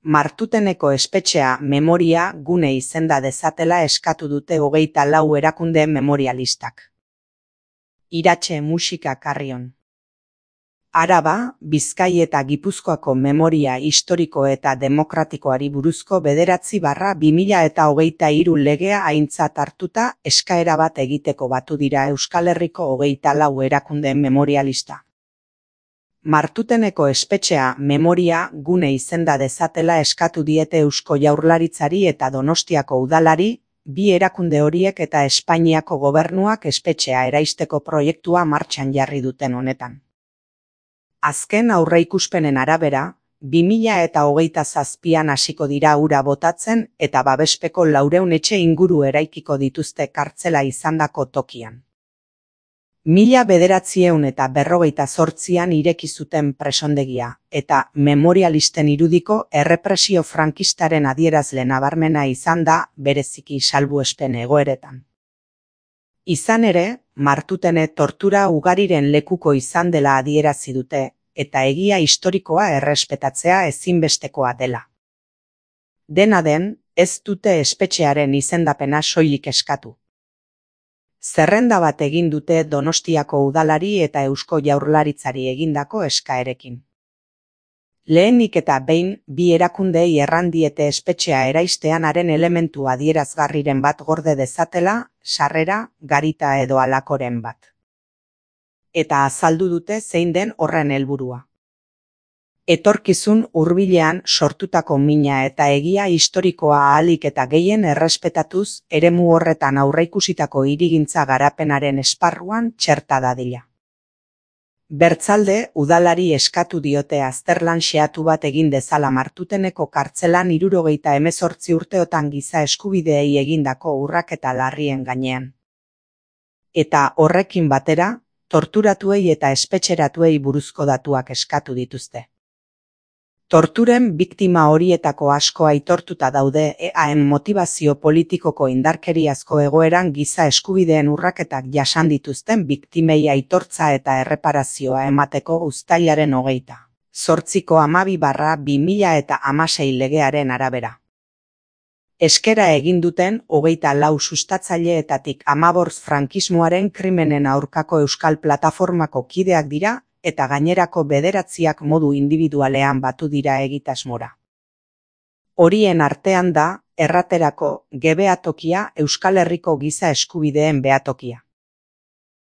Martuteneko espetxea memoria gune izenda dezatela eskatu dute 24 erakunde memorialistak. Iratxe musika Carrion. Araba, Bizkai eta Gipuzkoako memoria historiko eta demokratikoari buruzko 9/2023 legea aintzat hartuta eskaera bat egiteko batu dira Euskal Herriko 24 erakunde memorialista. Martuteneko espetxea memoria gune izenda dezatela eskatu diete Eusko Jaurlaritzari eta Donostiako udalari, bi erakunde horiek eta Espainiako gobernuak espetxea eraisteko proiektua martxan jarri duten honetan. Azken aurreikuspenen arabera, 2027an hasiko dira ura botatzen eta babespeko 400 etxe inguru eraikiko dituzte kartzela izandako tokian. 1948an ireki zuten presondegia eta memorialisten irudiko errepresio frankistaren adierazle nabarmena izan da bereziki salbuespen egoeretan. Izan ere, Martutene tortura ugariren lekuko izan dela adierazi dute eta egia historikoa errespetatzea ezinbestekoa dela. Dena den, ez dute espetxearen izendapena soilik eskatu. Zerrenda bat egin dute Donostiako udalari eta Eusko Jaurlaritzari egindako eskaerekin. Lehenik eta behin, bi erakundei erran diete espetxea eraistean haren elementu adierazgarriren bat gorde dezatela, sarrera, garita edo halakoren bat. Eta azaldu dute zein den horren helburua. Etorkizun hurbilean sortutako mina eta egia historikoa ahalik eta gehien errespetatuz eremu horretan aurreikusitako hirigintza garapenaren esparruan txerta dadila. Bertzalde, udalari eskatu diote azterlan xehatu bat egin dezala Martuteneko kartzelan 78 urteotan giza eskubideei egindako urraketa larrien gainean. Eta horrekin batera, torturatuei eta espetxeratuei buruzko datuak eskatu dituzte. Torturen biktima horietako asko aitortuta daude EAen motivazio politikoko indarkeriazko egoeran giza eskubideen urraketak jasan dituzten biktimei aitortza eta erreparazioa emateko uztailaren 28/12/2016 legearen arabera. Eskera egin duten 24 sustatzaileetatik 15 frankismoaren krimenen aurkako Euskal Plataformako kideak dira, eta gainerako 9 modu indibidualean batu dira egitasmora. Horien artean da, erraterako, G behatokia Euskal Herriko giza eskubideen behatokia.